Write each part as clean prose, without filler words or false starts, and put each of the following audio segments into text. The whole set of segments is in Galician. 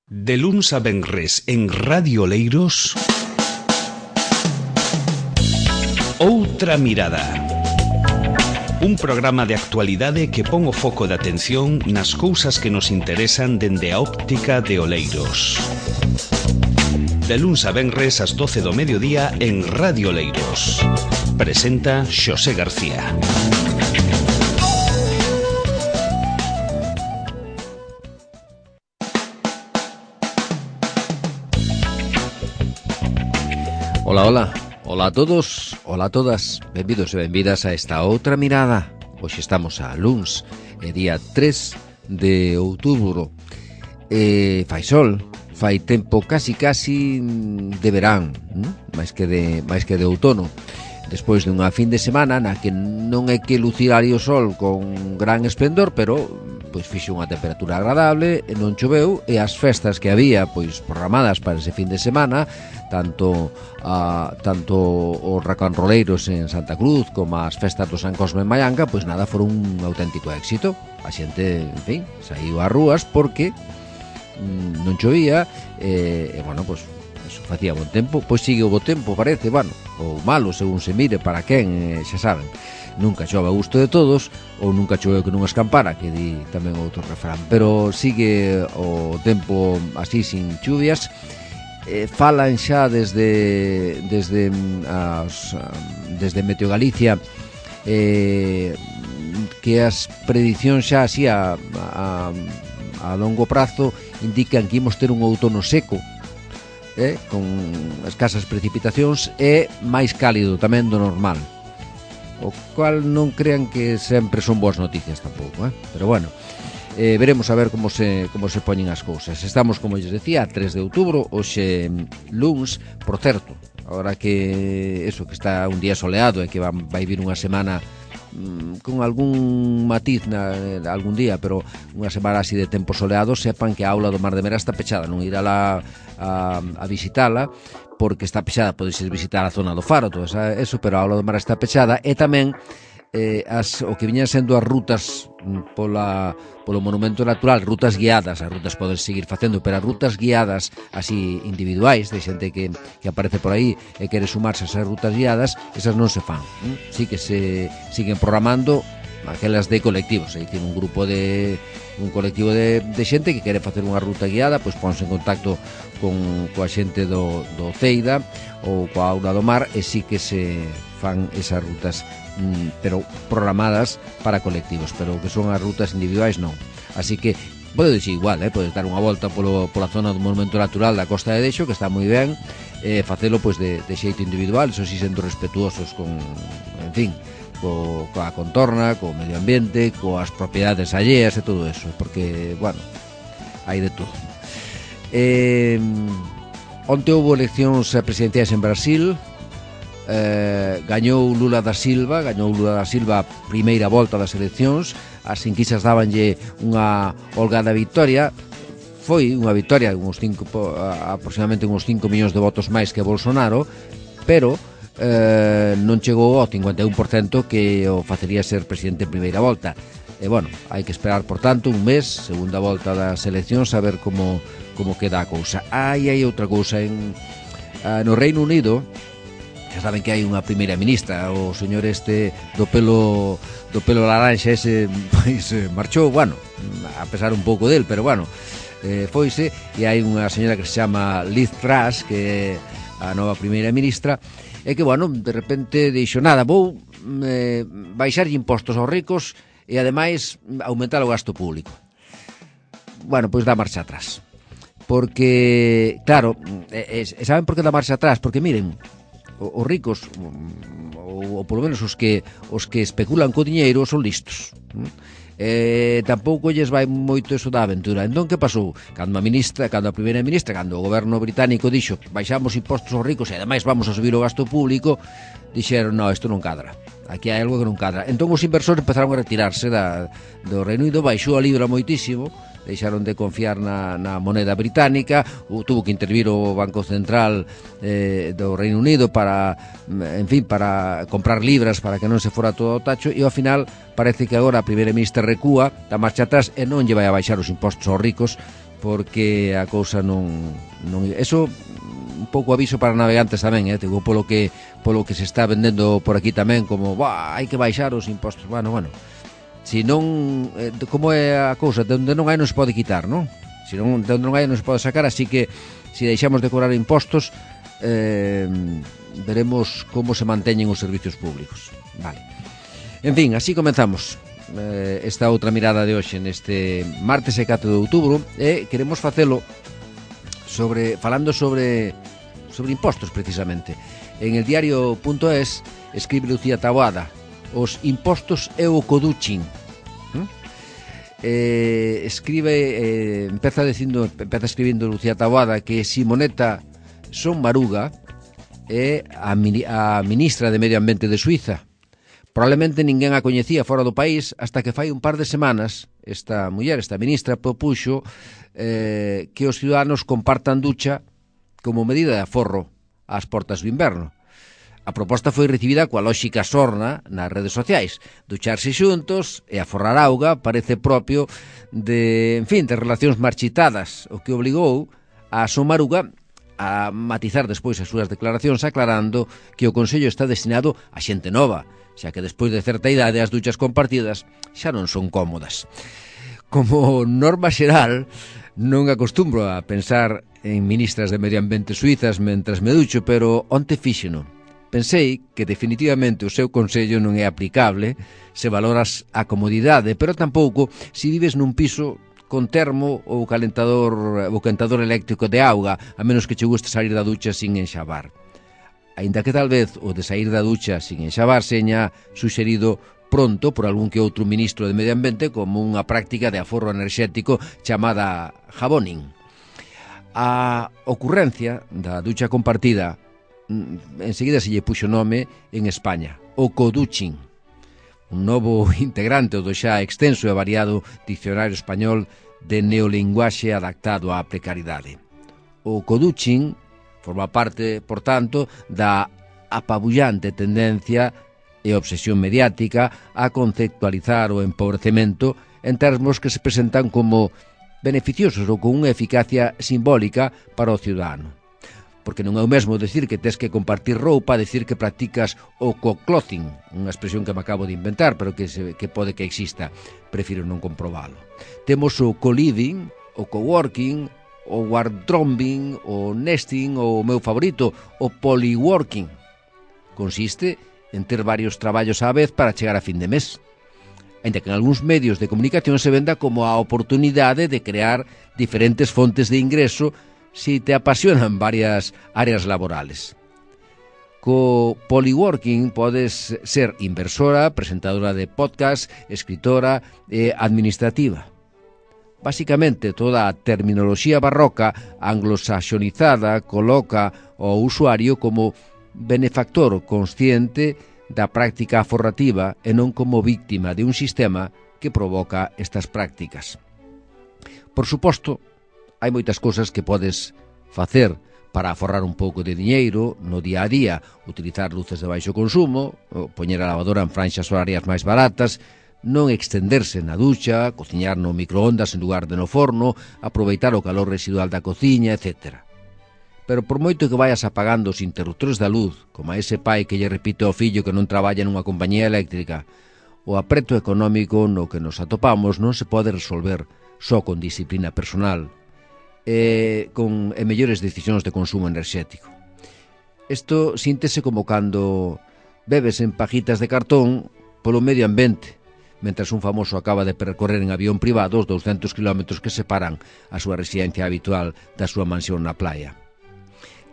De luns a venres en Radio Oleiros, Outra Mirada. Un programa de actualidade que pon o foco de atención nas cousas que nos interesan dende a óptica de Oleiros. De luns a venres ás 12 do mediodía en Radio Oleiros. Presenta Xosé García. Ola a todos, ola a todas, benvidos e benvidas a esta outra mirada. Hoxe estamos a luns, día 3 de outubro. Fai sol, fai tempo casi de verán, máis que de outono. Despois dunha fin de semana na que non é que lucirari o sol con gran esplendor, pero pois fixo unha temperatura agradable, non choveu, e as festas que había pois programadas para ese fin de semana, tanto os racanroleiros en Santa Cruz como as festas do San Cosme en Mallanga, pois nada, foron un auténtico éxito. A xente, en fin, saiu ás rúas porque non chovía, e bueno, pois eso, facía bon tempo. Pois sigue o bo tempo, parece, bueno, ou malo, según se mire, para quen, xa saben. Nunca chove a gusto de todos, ou nunca choveu que non escampara, que di tamén outro refrán, pero sigue o tempo así, sin chuvias. Falan xa desde Meteo Galicia que as predicións xa así a longo prazo indican que imos ter un outono seco, con escasas precipitacións, e máis cálido tamén do normal, o cual non crean que sempre son boas noticias tampouco, pero bueno, veremos a ver como se poñen as cousas. Estamos, como lles decía, a 3 de outubro, hoxe luns, por certo, agora que eso, que está un día soleado e que vai vir unha semana con algún matiz algún día, pero unha semana así de tempo soleado, sepan que a aula do Mar de Mera está pechada, non irá lá a visitala, porque está pechada. Podes visitar a zona do Faro, todo eso, pero a aula do Mar está pechada. E tamén o que viñan sendo as rutas polo monumento natural, rutas guiadas. As rutas poden seguir facendo, pero as rutas guiadas así individuais, de xente que aparece por aí e quere sumarse a esas rutas guiadas, esas non se fan. Sí que se siguen programando aquelas de colectivos. É dicir, un colectivo de xente que quere facer unha ruta guiada, pois ponse en contacto coa xente do Ceida ou coa Aula do Mar, e sí que se fan esas rutas, pero programadas para colectivos, pero que son as rutas individuais non. Así que podes igual, podes dar unha volta pola zona do monumento natural da Costa de Dexo, que está moi ben, facelo pois de xeito individual, eso si sendo respetuosos con, en fin, coa contorna, co medio ambiente, coas propiedades alleas e todo eso, porque, bueno, hai de todo. Onte houve eleccións presidenciais en Brasil. Gañou Lula da Silva a primeira volta das eleccións. As enquisas dabanlle unha holgada victoria. Foi unha victoria, aproximadamente uns 5 millóns de votos máis que Bolsonaro, pero non chegou ao 51% que o facería ser presidente en primeira volta. E bueno, hai que esperar, por tanto, un mes, segunda volta das eleccións, a ver como queda a cousa. Hai outra cousa no Reino Unido. Xa saben que hai unha primeira ministra, o señor do pelo laranxa ese, pois marchou, bueno, a pesar un pouco del, pero bueno, foise, e hai unha señora que se chama Liz Truss, que é a nova primeira ministra, e que, bueno, de repente dixo, nada, vou baixar impostos aos ricos e ademais aumentar o gasto público. Bueno, pois dá marcha atrás, porque, claro, saben por que dá marcha atrás? Porque miren, os ricos, ou polo menos os que especulan co diñeiro, son listos. Tampouco lles vai moito eso da aventura. Entón, que pasou? Cando a primeira ministra, cando o goberno británico dixo que baixamos impostos aos ricos e ademais vamos a subir o gasto público, dixeron, no, isto non cadra, aquí hai algo que non cadra. Entón os inversores empezaron a retirarse do Reino Unido, baixou a libra moitísimo, deixaron de confiar na moneda británica, tuvo que intervir o Banco Central do Reino Unido para comprar libras para que non se fora todo ao tacho, e ao final parece que agora a primeira ministra recúa, da marcha atrás, e non lle vai a baixar os impostos aos ricos, porque a cousa non eso un pouco aviso para navegantes tamén, digo, polo que se está vendendo por aquí tamén como, hai que baixar os impostos. Bueno, si non, como é a cousa, de onde non hai non se pode quitar, non? Si non, de onde non hai non se pode sacar, así que si deixamos de cobrar impostos, veremos como se manteñen os servicios públicos. Vale. En fin, así comenzamos esta outra mirada de hoxe neste martes e 4 de outubro, e queremos facelo falando sobre impostos, precisamente. En el diario.es escribe Lucía Taboada: os impostos e o coduching. Empeza escribindo Lucía Taboada que Simonetta Sommaruga é a ministra de Medio Ambiente de Suiza. Probablemente ninguén a coñecía fora do país hasta que fai un par de semanas esta ministra, propuxo que os ciudadanos compartan ducha como medida de aforro ás portas do inverno. A proposta foi recibida coa lóxica sorna nas redes sociais. Ducharse xuntos e aforrar auga parece propio de relacións marchitadas, o que obligou a Sommaruga a matizar despois as súas declaracións, aclarando que o Consello está destinado a xente nova, xa que despois de certa idade as duchas compartidas xa non son cómodas. Como norma xeral, non acostumbro a pensar en ministras de Medio Ambiente suizas mentras me ducho, pero onte fíxeno. Pensei que definitivamente o seu consello non é aplicable se valoras a comodidade, pero tampouco se vives nun piso con termo ou calentador eléctrico de auga, a menos que che guste sair da ducha sin enxabar. Aínda que tal vez o de sair da ducha sin enxabar seña suxerido pronto por algún que outro ministro de Medio Ambiente como unha práctica de aforro enerxético chamada jaboning. A ocurrencia da ducha compartida enseguida se lle puxo nome en España, o coduching, un novo integrante do xa extenso e variado dicionario español de neolinguaxe adaptado á precariedade. O coduching forma parte, por tanto, da apabullante tendencia e obsesión mediática a conceptualizar o empobrecemento en termos que se presentan como beneficiosos ou con unha eficacia simbólica para o ciudadano. Porque non é o mesmo decir que tes que compartir roupa a decir que practicas o co-clothing, unha expresión que me acabo de inventar, pero que pode que exista. Prefiro non comprobalo. Temos o co-living, o co-working, o wardrobing, o nesting, ou o meu favorito, o polyworking. Consiste en ter varios traballos á vez para chegar a fin de mes. Ainda que en algúns medios de comunicación se venda como a oportunidade de crear diferentes fontes de ingreso si te apasionan varias áreas laborales. Co polyworking podes ser inversora, presentadora de podcast, escritora e administrativa. Básicamente, toda a terminoloxía barroca anglosaxonizada coloca ao usuario como benefactor consciente da práctica aforrativa e non como víctima de un sistema que provoca estas prácticas. Por suposto, hai moitas cousas que podes facer para aforrar un pouco de diñeiro no día a día, utilizar luces de baixo consumo, poñer a lavadora en franxas horarias máis baratas, non extenderse na ducha, cociñar no microondas en lugar de no forno, aproveitar o calor residual da cociña, etc. Pero por moito que vayas apagando os interruptores da luz, como a ese pai que lle repite ao fillo que non traballa nunha compañía eléctrica, o apreto económico no que nos atopamos non se pode resolver só con disciplina personal e mellores decisións de consumo enerxético. Isto síntese como cando bebes en pajitas de cartón polo medio ambiente, mentras un famoso acaba de percorrer en avión privado os 200 km que separan a súa residencia habitual da súa mansión na playa.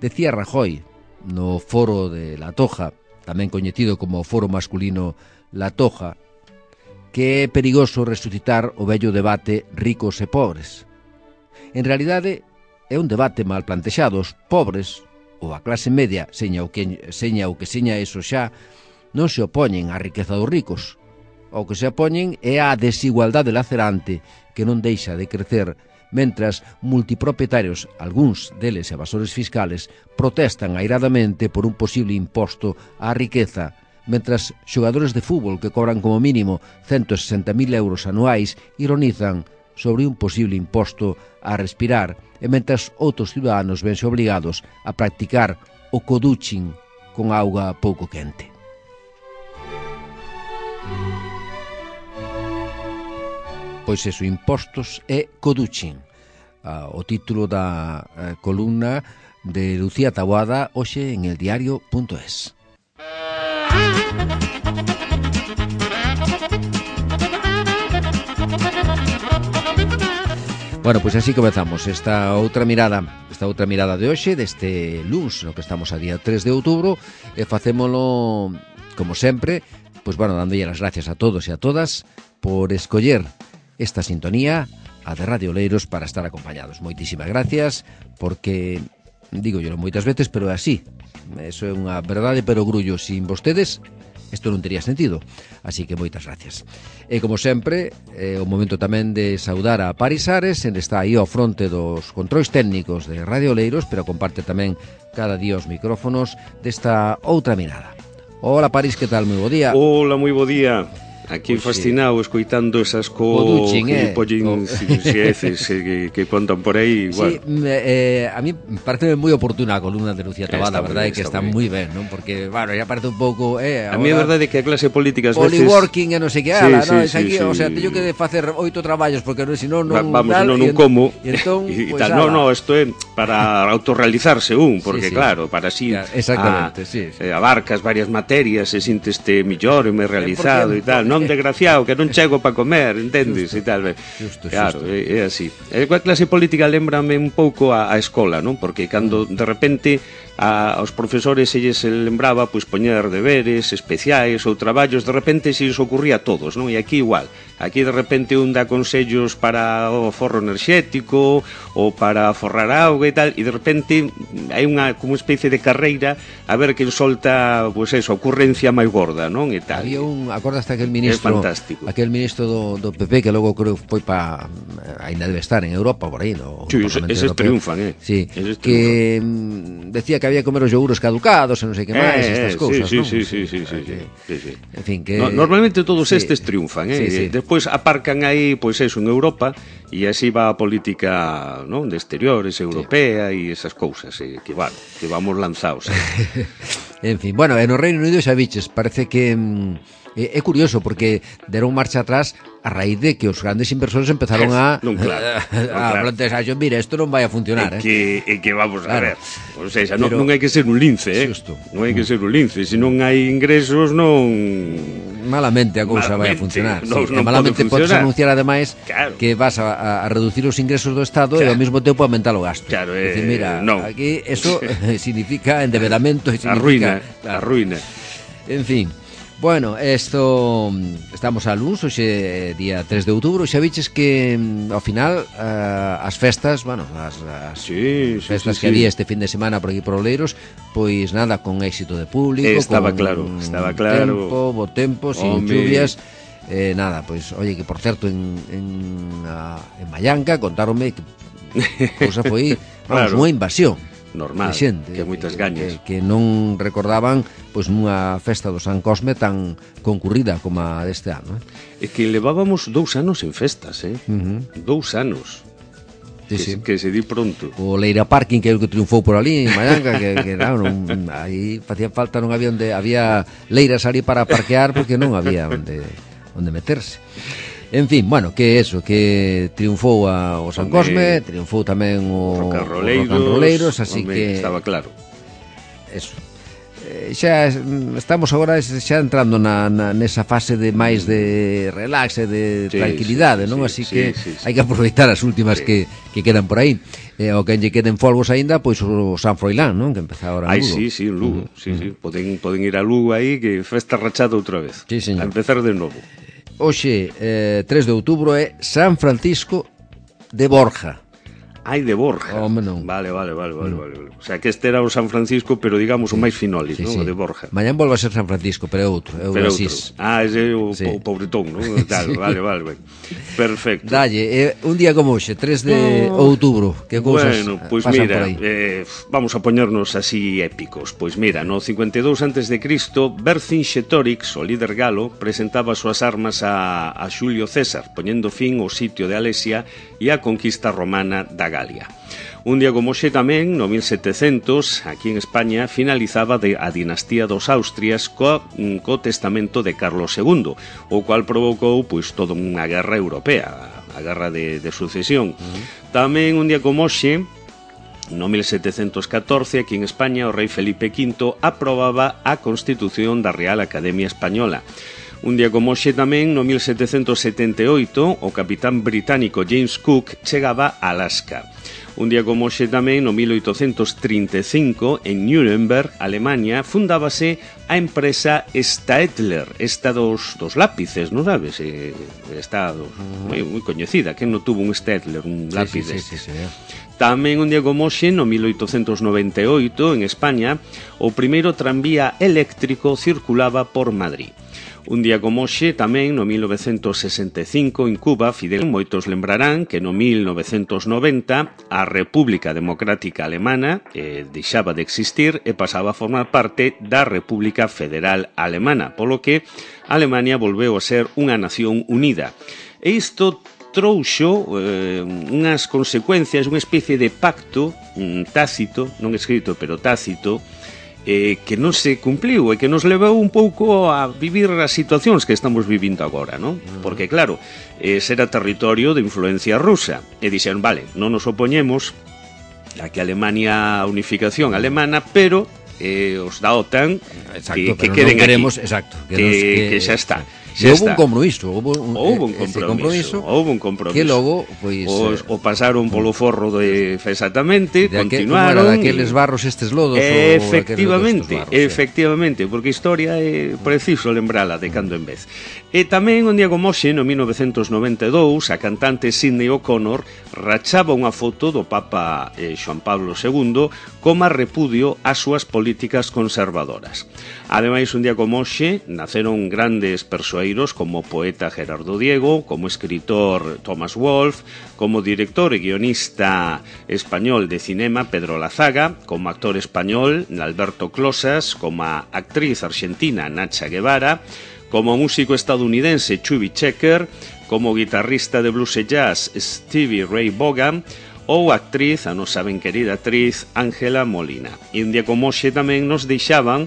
Decía Rajoy, no foro de La Toja, tamén coñecido como foro masculino La Toja, que é perigoso resucitar o vello debate ricos e pobres. En realidade, é un debate mal plantexado. Os pobres, ou a clase media, seña o que seña eso xa, non se opoñen á riqueza dos ricos. O que se opoñen é á desigualdade lacerante que non deixa de crecer, mentras multipropietarios, algúns deles evasores fiscales, protestan airadamente por un posible imposto á riqueza, mentras xogadores de fútbol que cobran como mínimo 160.000 euros anuais ironizan sobre un posible imposto a respirar, e mentres outros ciudadanos vense obrigados a practicar o coduching con auga pouco quente. Pois eso, impostos e coduching. O título da columna de Lucía Taboada hoxe en eldiario.es. Bueno, pois así comezamos esta outra mirada de hoxe, deste luns, no que estamos a día 3 de outubro, e facémolo, como sempre, pois bueno, dándolle as gracias a todos e a todas por escoller esta sintonía, a de Radio Oleiros, para estar acompañados. Moitísimas gracias, porque, digo yo moitas veces, pero é así. Eso é unha verdade, pero grullo. Sin vostedes, isto non tería sentido. Así que moitas gracias. E como sempre, o momento tamén de saudar a Paris Ares, en está aí ao fronte dos controis técnicos de Radio Oleiros, pero comparte tamén cada día os micrófonos desta outra mirada. Hola Paris, que tal? Moi bo día. Hola, moi bo día. Aquí fascinado, escoitando esas que contan por aí. Sí, a mí parece moi oportuna a columna de Lucía Taboada, a verdade é que está moi ben, non? Porque, bueno, ya parece un pouco... a mí é verdade que a clase política ás veces... Poliworking e non sei que, ala, non? O sea, teño que facer 8 traballos, porque senón non... Vamos, senón non como. E entón, e tal, non, isto é para autorrealizarse porque claro, para así... Exactamente, abarcas varias materias e sinteste mellor e máis realizado e tal, non desgraciado, que non chego para comer, entendes? E tal, claro, é así. A clase política lembrame un pouco a escola, non? Porque cando de repente aos profesores se lles lembraba pois poñer deberes especiais ou traballos, de repente se lles ocurría a todos, non? E aquí igual, aquí de repente un dá consellos para o forro enerxético ou para forrar auga e tal, e de repente hai unha como especie de carreira a ver quen solta, pois eso, a ocurrencia máis gorda, non? E tal. Había acordaste aquel ministro, aquel ministro do PP que logo creo foi para, ainda debe estar en Europa por aí, no? Sí, eses triunfan, Sí, que decía que había que comer os yogures caducados e non sei que máis, estas cousas, non? Sí. En fin, que... Normalmente todos estes triunfan, Despois aparcan aí, pois eso, en Europa, e así va a política, non, de exteriores, europea e esas cousas, que vamos lanzados. En fin, bueno, en o Reino Unido xa biches, parece que... É curioso porque deron marcha atrás a raíz de que os grandes inversores empezaron a plantear, mira, isto non vai a funcionar. Que vamos a ver, o sea, non hai que ser un lince, non hai que ser un lince, se non hai ingresos non... Malamente a cousa vai a funcionar. Malamente podes anunciar ademais que vas a reducir os ingresos do Estado e ao mesmo tempo aumentar o gasto. Claro, mira, aquí eso significa endeudamento e significa... A ruína. En fin... Bueno, estamos a luns, hoxe día 3 de outubro, xa viches que ao final as festas, bueno, as festas que había este fin de semana por aquí por Oleiros, pois nada, con éxito de público, estaba claro. Bo tempo, sin lluvias, nada, pois, oye, que por certo en Mallanca contáronme que cousa foi, vamos, unha invasión. Normal, xente, que moitas gañas que non recordaban pois nunha festa do San Cosme tan concurrida como a deste ano. É que levábamos 2 anos en festas, 2 anos. Que se di pronto. O Leira Parking, que é o que triunfou por ali en Mallanca, que aí facía falta, non había había leiras ali para parquear porque non había onde meterse. En fin, bueno, que eso, que triunfou o San Cosme, triunfou tamén o Rocanroleiros, así que... Estaba claro. Eso. Xa estamos agora xa entrando nesa fase de máis de relax e de tranquilidade, non? Así que hai que aproveitar as últimas que quedan por aí. O que lle queden folgos aínda, pois o San Froilán, non? Que empeza agora en Lugo. Sí, en Lugo. Poden ir a Lugo aí, que festa rachada outra vez. Sí, señor. A empezar de novo. Hoxe, 3 de outubro, é San Francisco de Borja. Ai, de Borja. Home, non. Vale. O sea, que este era o San Francisco, pero digamos o máis finolis, non? O de Borja. Mañán volve a ser San Francisco, pero é outro, é o de Asís. Ese é o pobretón, non? Tal, vale. Perfecto. Dalle, un día como hoxe, 3 de outubro, que cousas pasan mira, por aí? Vamos a poñernos así épicos. Pois mira, no 52 a.C., Vercingetorix, o líder galo, presentaba as súas armas a Xulio César, poñendo fin ao sitio de Alesia e a conquista romana da Galia. Un día como hoxe tamén, no 1700, aquí en España, finalizaba a dinastía dos Austrias co testamento de Carlos II, o cual provocou pois toda unha guerra europea, a guerra de sucesión. Tamén un día como hoxe, no 1714, aquí en España, o rei Felipe V aprobaba a Constitución da Real Academia Española. Un día como hoxe tamén, no 1778, o capitán británico James Cook chegaba a Alaska. Un día como hoxe tamén, no 1835, en Nuremberg, Alemania, fundábase a empresa Staedtler, esta dos lápices, non sabes? Está moi coñecida, que non tuvo un Staedtler, un lápiz deste. Sí. Tamén un día como hoxe, no 1898, en España, o primeiro tranvía eléctrico circulaba por Madrid. Un día como hoxe, tamén, no 1965, en Cuba, Fidel, moitos lembrarán que no 1990 a República Democrática Alemana deixaba de existir e pasaba a formar parte da República Federal Alemana, polo que Alemania volveu a ser unha nación unida. E isto trouxo unhas consecuencias, unha especie de pacto tácito, non escrito, pero tácito, que non se cumpliu e que nos levou un pouco a vivir as situacións que estamos vivindo agora, non? Porque, claro, era territorio de influencia rusa e dixeron, vale, non nos opoñemos a que Alemania, a unificación alemana, pero os da OTAN que queden queremos, aquí, exacto, que xa está. Houve un compromiso, houve un compromiso que logo pois o pasaron polo forro exactamente, continuaron daqueles barros estes lodos, efectivamente, porque a historia é preciso lembrala de cando en vez. E tamén un día como hoxe, no 1992, a cantante Sinéad O'Connor rachaba unha foto do Papa Xoán Pablo II como repudio ás súas políticas conservadoras. Ademais, un día como hoxe, naceron grandes persoeiros como o poeta Gerardo Diego, como escritor Thomas Wolfe, como director e guionista español de cinema Pedro Lazaga, como actor español Alberto Closas, como a actriz argentina Nacha Guevara, como músico estadounidense Chubby Checker, como guitarrista de blues e jazz Stevie Ray Vaughan, ou actriz, a nosa ben querida actriz Ángela Molina. E un día como hoxe tamén nos deixaban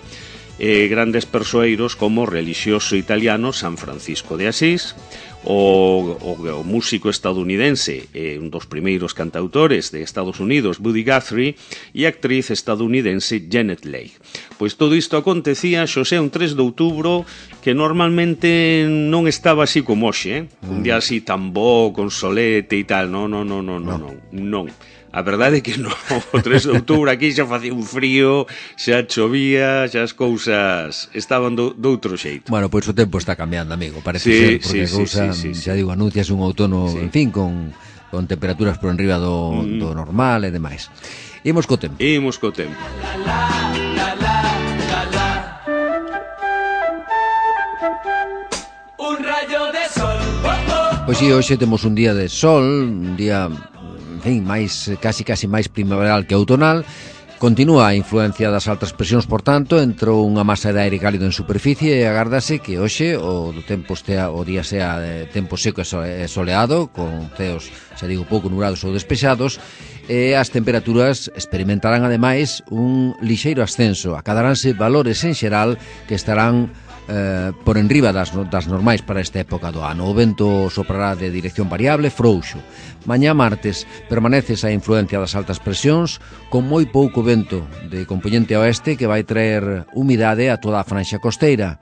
grandes persoeiros como o relixioso italiano San Francisco de Asís, o músico estadounidense, un dos primeiros cantautores de Estados Unidos, Buddy Guthrie, e a actriz estadounidense Janet Leigh. Pois todo isto acontecía, xosé, un 3 de outubro, que normalmente non estaba así como hoxe, un día así tan bo, con solete e tal, non. A verdade é que non, o 3 de outubro aquí xa facía un frío, xa chovía, xa as cousas estaban doutro xeito. Bueno, pois o tempo está cambiando, amigo, parece ser, porque a cousa, xa digo, anuncias un outono, en fin, con temperaturas por enriba do normal e demais. Imos co tempo. Un rayo de sol. Pois si, hoxe temos un día de sol, un día, en fin, casi máis primaveral que outonal. Continúa a influencia das altas presións, por tanto, entrou unha masa de aire cálido en superficie e agárdase que hoxe o día sea de tempo seco e soleado, con ceos, xa digo, pouco nublados ou despexados, e as temperaturas experimentarán, ademais, un lixeiro ascenso. Acadaránse valores en xeral que estarán por enriba das normais para esta época do ano. O vento soprará de dirección variable, frouxo. Mañá martes permanece esa influencia das altas presións, con moi pouco vento de compoñente oeste que vai traer humidade a toda a franxa costeira.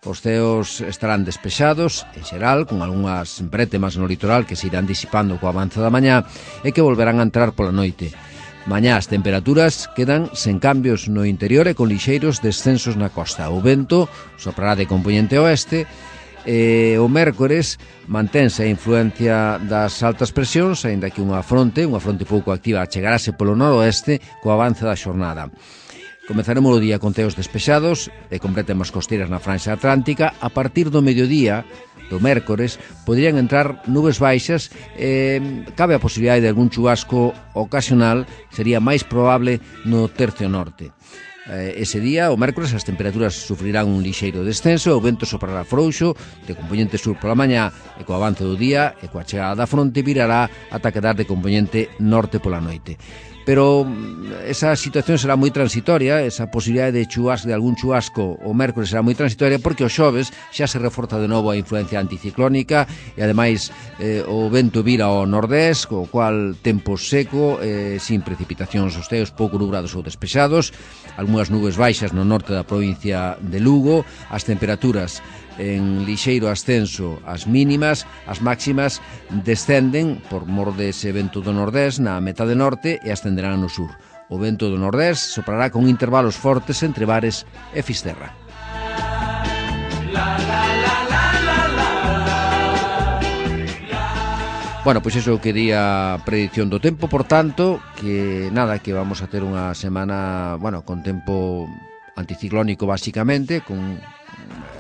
Os ceos estarán despexados, en xeral, con algunhas brétemas no litoral que se irán disipando co avance da mañá e que volverán a entrar pola noite. Mañá as temperaturas quedan sen cambios no interior e con lixeiros descensos na costa. O vento soprará de compoñente oeste O mércores mantense a influencia das altas presións, aínda que unha fronte pouco activa, chegarase polo noroeste co avance da xornada. Comezaremos o día con teos despexados e completemos costeiras na franxa atlántica. A partir do mediodía do mércores poderían entrar nubes baixas e cabe a posibilidade de algún chubasco ocasional, sería máis probable no tercio norte. Ese día, o mércores, as temperaturas sufrirán un lixeiro descenso, o vento soprará frouxo de componente sur pola mañá e co avance do día e coa chegada da fronte virará ata quedar de componente norte pola noite. Pero esa situación será moi transitoria, esa posibilidade de algún chubasco o mércores será moi transitoria porque o xoves xa se reforza de novo a influencia anticiclónica e ademais o vento vira ao nordés, co cual tempo seco, sin precipitacións, os teos pouco nubrados ou despexados, algunhas nubes baixas no norte da provincia de Lugo, as temperaturas en lixeiro ascenso as mínimas, as máximas descenden por mor dese vento do nordés na metade norte e ascenderán no sur. O vento do nordés soprará con intervalos fortes entre Bares e Fisterra. Bueno, pois iso quería predicción do tempo, por tanto, que nada, que vamos a ter unha semana, bueno, con tempo anticiclónico basicamente, con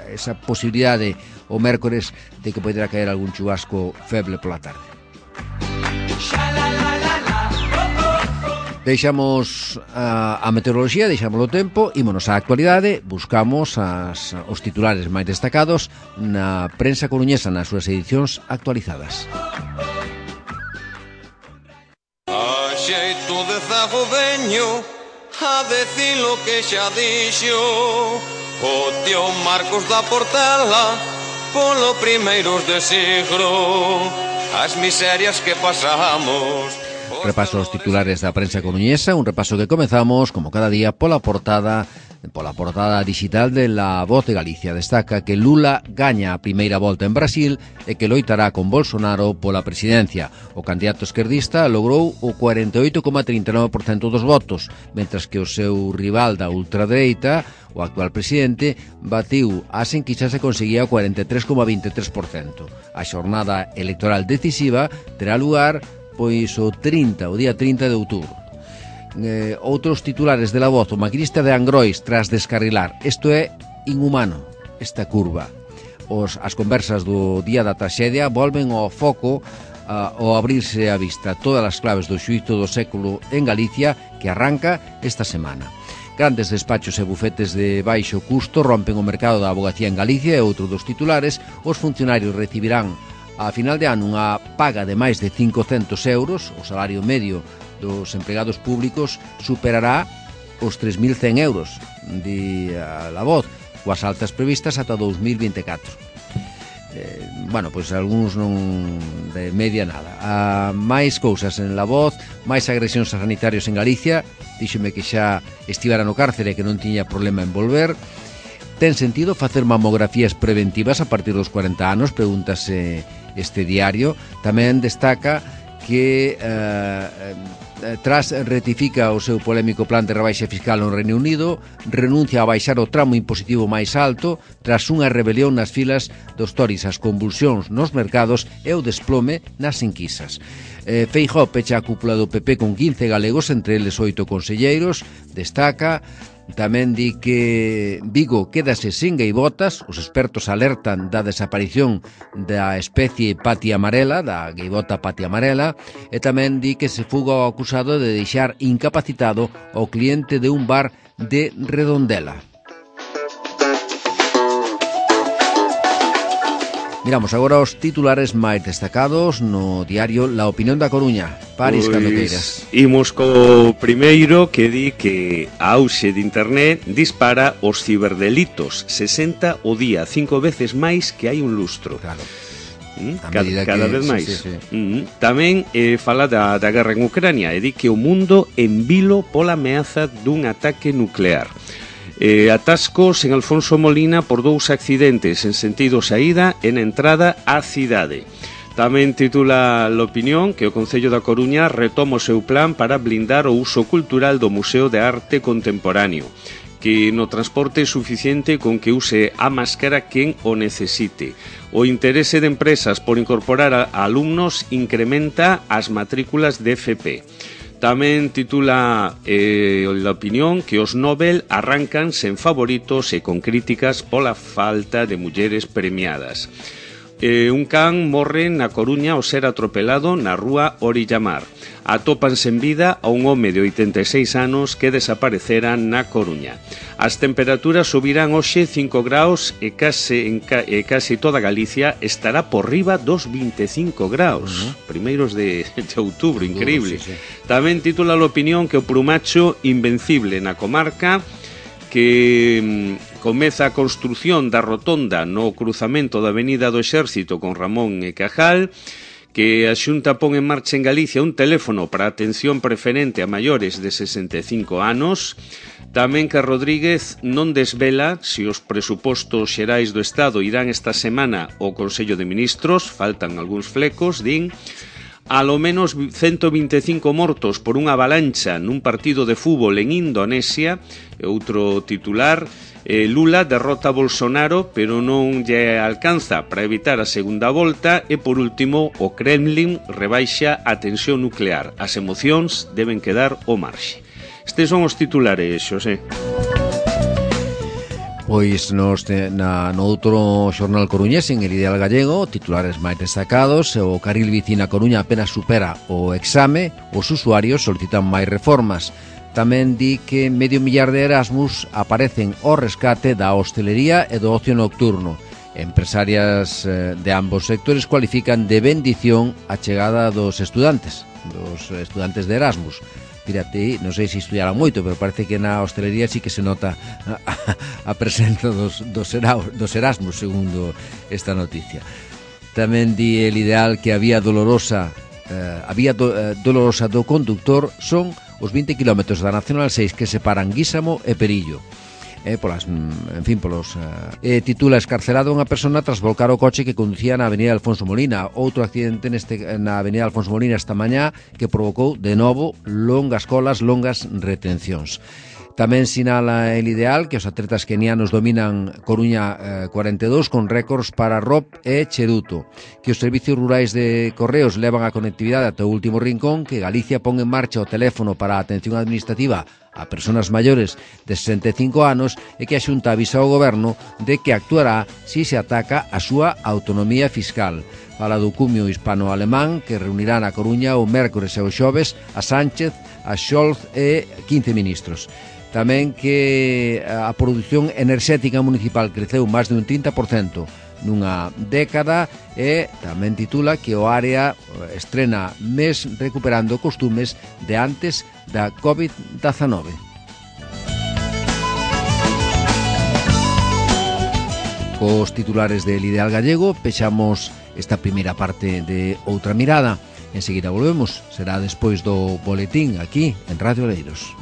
esa posibilidade o mércores de que poderá caer algún chubasco feble pola tarde. Deixamos a meteoroloxía, deixamos o tempo, ímonos á actualidade, buscamos os titulares máis destacados na prensa coruñesa nas súas edicións actualizadas. A xeito de zago veño a decir lo que xa dixo o tío Marcos da Portela polo primeiros de siglo, as miserias que pasamos. Repaso os titulares da prensa coruñesa, un repaso que comezamos, como cada día, pola portada digital de La Voz de Galicia. Destaca que Lula gaña a primeira volta en Brasil e que loitará con Bolsonaro pola presidencia. O candidato esquerdista logrou o 48,39% dos votos, mentras que o seu rival da ultradereita, o actual presidente, batiu as enquisas e conseguía o 43,23%. A xornada electoral decisiva terá lugar pois o día 30 de outubro. Outros titulares de La Voz: o maquinista de Angrois tras descarrilar. Isto é inhumano, esta curva. As conversas do día da traxedia volven ao foco ao abrirse a vista todas as claves do xuízo do século en Galicia, que arranca esta semana. Grandes despachos e bufetes de baixo custo rompen o mercado da abogacía en Galicia e outro dos titulares: os funcionarios recibirán a final de ano unha paga de máis de 500 euros, o salario medio dos empregados públicos superará os 3.100 euros, di a La Voz, coas altas previstas ata 2024. Bueno, pois algúns non de media nada. Máis cousas en La Voz, máis agresións a sanitarios en Galicia, díxome que xa estivera no cárcere e que non tiña problema en volver. Ten sentido facer mamografías preventivas a partir dos 40 anos, pregúntase este diario. Tamén destaca que tras retifica o seu polémico plan de rebaixa fiscal no Reino Unido, renuncia a baixar o tramo impositivo máis alto tras unha rebelión nas filas dos Tories, as convulsións nos mercados e o desplome nas enquisas. Feijóo pecha a cúpula do PP con 15 galegos, entre eles 8 conselleiros. Destaca tamén di que Vigo quédase sin gaivotas, os expertos alertan da desaparición da especie pati amarela, da gaivota pati amarela, e tamén di que se fuga o acusado de deixar incapacitado ao cliente de un bar de Redondela. Miramos agora os titulares máis destacados no diario La Opinión da Coruña. Paris, cando queiras. Imos co primeiro, que di que a auxe de internet dispara os ciberdelitos, 60 o día, 5 veces máis que hai un lustro. Claro. Cada vez máis. Tamén fala da guerra en Ucrania e di que o mundo envilo pola ameaza dun ataque nuclear. Atascos en Alfonso Molina por 2 accidentes en sentido saída e na entrada á cidade. Tamén titula l'Opinión que o Concello da Coruña retoma o seu plan para blindar o uso cultural do Museo de Arte Contemporáneo, que no transporte é suficiente con que use a máscara quen o necesite. O interese de empresas por incorporar a alumnos incrementa as matrículas de FP. Tamén titula a opinión que os Nobel arrancan sen favoritos e con críticas pola falta de mulleres premiadas. Un can morre na Coruña ao ser atropelado na rúa Orillamar. Atópanse en vida a un home de 86 anos que desaparecera na Coruña. As temperaturas subirán hoxe 5 graus e case toda Galicia estará por riba dos 25 graus. Primeiros de outubro, increíble. Tamén titula a opinión que o Prumacho invencible na comarca, que comeza a construción da rotonda no cruzamento da Avenida do Exército con Ramón e Cajal, que a Xunta pon en marcha en Galicia un teléfono para atención preferente a maiores de 65 anos, tamén que Rodríguez non desvela se os presupostos xerais do Estado irán esta semana ao Consello de Ministros, faltan algúns flecos, din. Alo menos 125 mortos por unha avalancha nun partido de fútbol en Indonesia. Outro titular, Lula derrota a Bolsonaro, pero non lle alcanza para evitar a segunda volta. E por último, o Kremlin rebaixa a tensión nuclear. As emocións deben quedar ao marxe. Estes son os titulares, Xosé. Pois no outro xornal coruñés, en El Ideal Gallego, titulares máis destacados: o carril bici na Coruña apenas supera o exame, os usuarios solicitan máis reformas. Tamén di que 500.000 de Erasmus aparecen ao rescate da hostelería e do ocio nocturno. Empresarias de ambos sectores cualifican de bendición a chegada dos estudantes de Erasmus. Fíjate, non sei se estudiaran moito, pero parece que na hostelería sí que se nota a presenza dos Erasmus, segundo esta noticia. Tamén di El Ideal que a vía dolorosa do conductor son os 20 km da Nacional 6 que separan Guísamo e Perillo. Titula escarcelado unha persona tras volcar o coche que conducía na Avenida Alfonso Molina. Outro accidente na Avenida Alfonso Molina esta mañá que provocou de novo longas colas, longas retencións. Tamén sinala El Ideal que os atletas kenianos dominan Coruña 42 con récords para Rob e Cheruto, que os servicios rurais de Correos levan a conectividade ata o último rincón, que Galicia pon en marcha o teléfono para a atención administrativa a persoas maiores de 65 anos e que a Xunta avisa ao Goberno de que actuará si se ataca a súa autonomía fiscal. Fala do cumio hispano-alemán que reunirá na Coruña o mércores e o xoves a Sánchez, a Scholz e 15 ministros. Tamén que a produción enerxética municipal creceu máis de un 30% nunha década e tamén titula que o área estrena mes recuperando costumes de antes da COVID-19. Cos titulares del Ideal Gallego pechamos esta primeira parte de Outra Mirada. Enseguida volvemos, será despois do boletín aquí en Radio Oleiros.